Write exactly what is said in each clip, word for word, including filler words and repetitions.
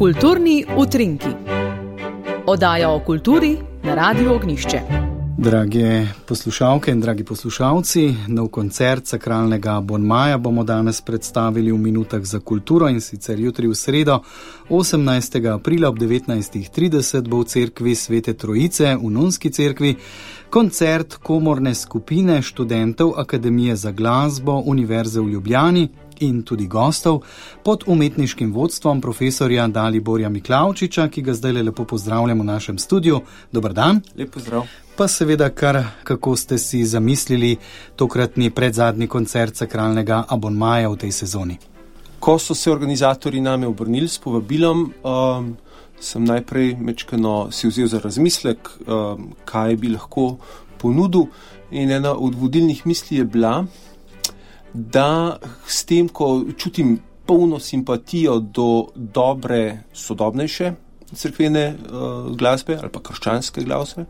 Kulturni utrinki. Oddaja o kulturi na Radiu Ognjišče. Drage poslušalke in dragi poslušalci, nov koncert sakralnega abonmaja bomo danes predstavili v minutah za kulturo, in sicer jutri v sredo, osemnajstega aprila ob devetnajstih trideset bo v cerkvi Svete Trojice v Nunski cerkvi koncert komorne skupine študentov Akademije za glasbo Univerze v Ljubljani in tudi gostov pod umetniškim vodstvom profesorja Daliborja Miklavčiča, ki ga zdaj lepo pozdravljamo v našem studiu. Dobar dan. Lep pozdrav. Pa seveda kar, kako ste si zamislili tokratni predzadnji koncert sakralnega abonmaja v tej sezoni? Ko so se organizatorji name obrnili s povabilom, um, sem najprej mečkano si vzel za razmislek, um, kaj bi lahko ponudil, in ena od vodilnih misli je bila, da s tem, ko čutim polno simpatijo do dobre, sodobnejše cerkvene uh, glasbe ali pa krščanske glasbe,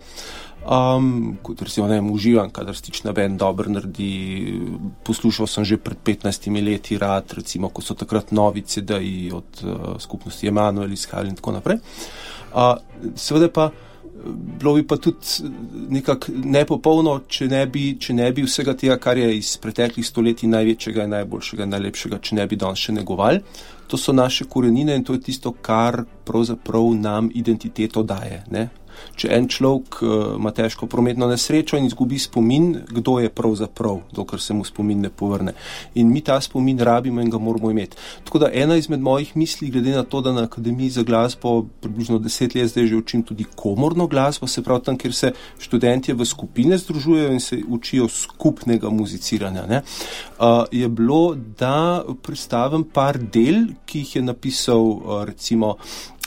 um, kot recimo ne uživam, kadar Stična band dobro naredi. Poslušal sem že pred petnajstimi leti rad, recimo, ko so takrat novi C D-ji od uh, skupnosti Emanuel izhajali in tako naprej. Uh, seveda pa bilo bi pa tudi nekako nepopolno, če ne bi, če ne bi vsega tega, kar je iz preteklih stoletij največjega in najboljšega in najlepšega, če ne bi danes še negovali. To so naše korenine in to je tisto, kar pravzaprav nam identiteto daje, ne? Če en človek uh, ima težko prometno nesrečo in izgubi spomin, kdo je pravzaprav, dokler se mu spomin ne povrne. In mi ta spomin rabimo in ga moramo imeti. Tako da ena izmed mojih misli, glede na to, da na Akademiji za glasbo približno deset let zdaj že učim tudi komorno glasbo, se pravi tam, kjer se študentje v skupine združujejo in se učijo skupnega muziciranja, ne? Uh, je bilo, da predstavim par del, ki jih je napisal uh, recimo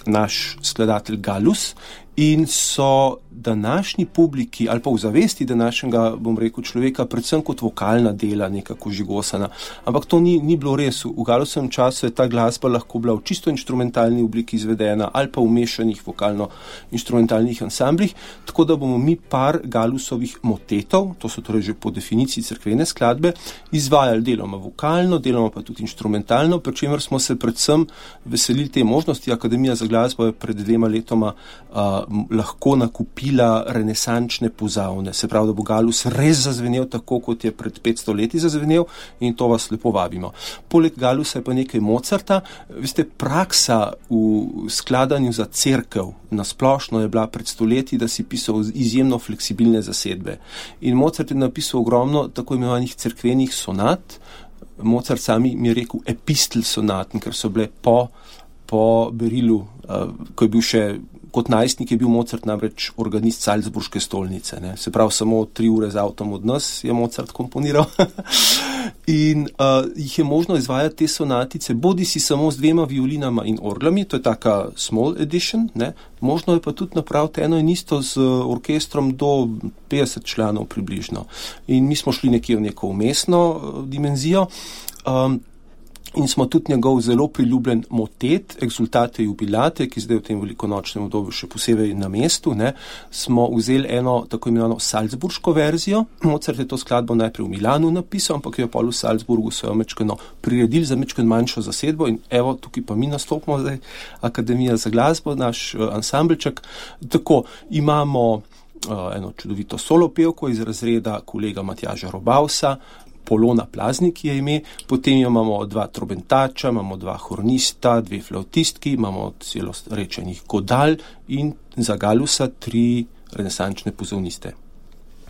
naš skladatelj Gallus, in so današnji publiki ali pa v zavesti današnjega, bom rekel, človeka predvsem kot vokalna dela nekako žigosana. Ampak to ni, ni bilo res. V Gallusovem času je ta glasba lahko bila v čisto inštrumentalni obliki izvedena ali pa v mešanih vokalno-inštrumentalnih ansamblih, tako da bomo mi par Gallusovih motetov, to so torej že po definiciji cerkvene skladbe, izvajali deloma vokalno, deloma pa tudi inštrumentalno, pri čemer smo se predvsem veselili te možnosti. Akademija za glasbo je pred dvema letoma uh, lahko nakupila renesančne pozavne. Se pravi, da bo Gallus res zazvenel tako, kot je pred petsto leti zazvenel, in to vas lepo vabimo. Poleg Gallusa je pa nekaj Mozarta. Veste, praksa v skladanju za cerkev nasplošno je bila pred stoletji, da si pisal izjemno fleksibilne zasedbe. In Mozart je napisal ogromno tako imenovanih cerkvenih sonat. Mozart sami mi je rekel epistel sonat, ker so bile po, po berilu, uh, ko je bil še kot najstnik, je bil Mozart namreč organist Salzburške stolnice, ne. Se pravi, samo tri ure z avtom od nas je Mozart komponiral. In uh, jih je možno izvajati te sonatice, bodi si samo z dvema violinama in orglami, to je taka small edition, ne. Možno je pa tudi napraviti eno in isto z orkestrom do petdeset članov približno. In mi smo šli nekje v neko umestno uh, dimenzijo. Um, In smo tudi njegov zelo priljubljen motet, Exultate jubilate, ki zdaj v tem velikonočnem obdobju še posebej na mestu, ne, smo vzeli eno tako imenovano salzburško verzijo. Mozart je to skladbo najprej v Milanu napisal, ampak jo pa v Salzburgu so jo mečkeno priredili za mečkeno manjšo zasedbo, in evo, tukaj pa mi nastopimo zdaj, Akademija za glasbo, naš uh, ansambelček. Tako, imamo uh, eno čudovito solo pevko iz razreda kolega Matjaža Robausa, Polona Plaznik je ime, potem imamo dva trobentača, imamo dva hornista, dve flautistki, imamo celo rečenih godal in za Gallusa tri renesančne pozavniste.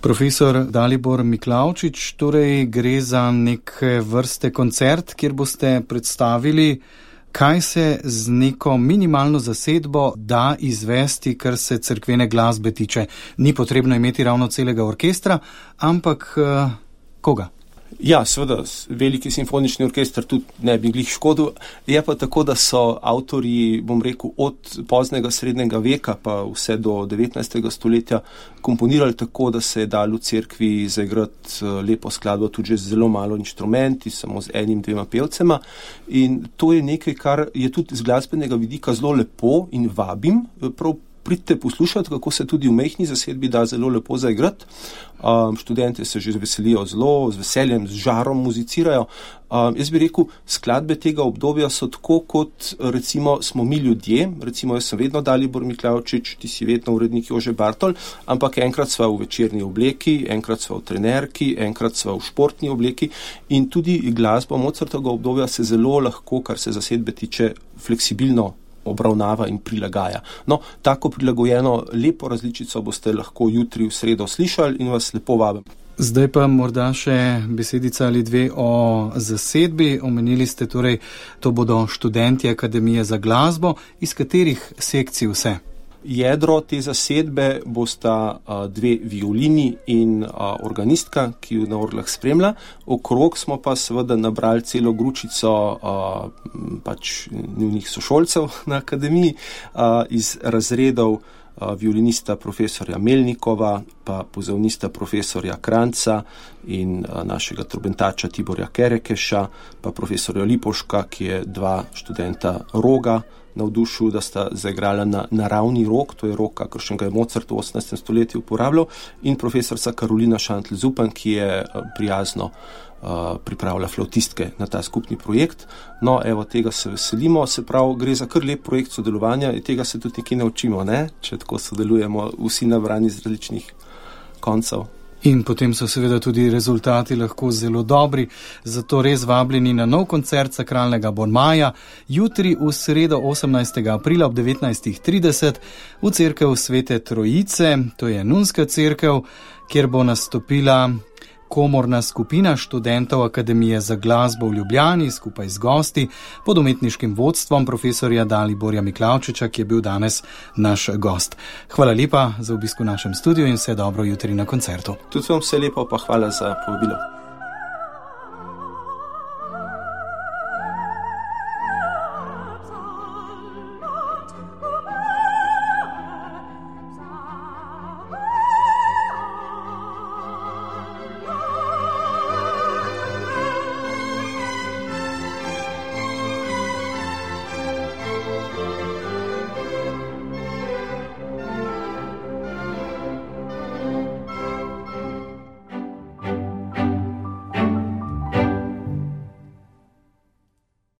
Profesor Dalibor Miklavčič, torej gre za neke vrste koncert, kjer boste predstavili, kaj se z neko minimalno zasedbo da izvesti, kar se cerkvene glasbe tiče. Ni potrebno imeti ravno celega orkestra, ampak uh, koga? Ja, seveda, veliki simfonični orkester tudi ne bi glih škodil. Je pa tako, da so avtorji, bom rekel, od poznega srednjega veka pa vse do devetnajstega stoletja komponirali tako, da se je dalo v cerkvi zaigrati lepo skladbo tudi že z zelo malo inštrumenti, samo z enim, dvema pevcema. In to je nekaj, kar je tudi z glasbenega vidika zelo lepo in vabim prav pridite poslušati, kako se tudi v majhni zasedbi da zelo lepo zaigrati. Um, študente se že veselijo zelo, z veseljem, z žarom muzicirajo. Um, jaz bi rekel, skladbe tega obdobja so tako, kot recimo smo mi ljudje, recimo jaz sem vedno Dalibor Miklavčič, ti si vedno urednik Jože Bartol, ampak enkrat sva v večerni obleki, enkrat sva v trenerki, enkrat sva v športni obleki in tudi glasba Mozartovega obdobja se zelo lahko, kar se zasedbe tiče, fleksibilno obravnava in prilagaja. No, tako prilagojeno lepo različico boste lahko jutri v sredo slišali in vas lepo vabim. Zdaj pa morda še besedica ali dve o zasedbi. Omenili ste torej, to bodo študenti Akademije za glasbo. Iz katerih sekcij vse? Jedro te zasedbe bosta uh, dve violini in uh, organistka, ki jo na orglah spremlja. Okrog smo pa seveda nabrali celo gručico uh, pač njunih sošolcev na akademiji uh, iz razredov uh, violinista profesorja Melnikova, pa pozavnista profesorja Kranca in uh, našega trobentača Tiborja Kerekeša, pa profesorja Lipoška, ki je dva študenta roga navdušil, da sta zaigrala na naravni rog, to je rog, kakršen ga je Mozart v osemnajstem stoletju uporabljal, in profesorca Karolina Šantl-Zupan, ki je prijazno uh, pripravila flautistke na ta skupni projekt. No, evo, tega se veselimo, se pravi, gre za kar lep projekt sodelovanja in tega se tudi nekaj naučimo, ne? Če tako sodelujemo vsi nabrani z različnih koncev. In potem so seveda tudi rezultati lahko zelo dobri, zato res vabljeni na nov koncert Sakralnega Bon Maja, jutri v sredo osemnajstega aprila ob devetnajstih trideset v cerkev Svete Trojice, to je nunska cerkev, kjer bo nastopila komorna skupina študentov Akademije za glasbo v Ljubljani skupaj z gosti pod umetniškim vodstvom profesorja Daliborja Miklavčiča, ki je bil danes naš gost. Hvala lepa za obisk v našem studiu in vse dobro jutri na koncertu. Tudi vam vse lepo, pa hvala za povabilo.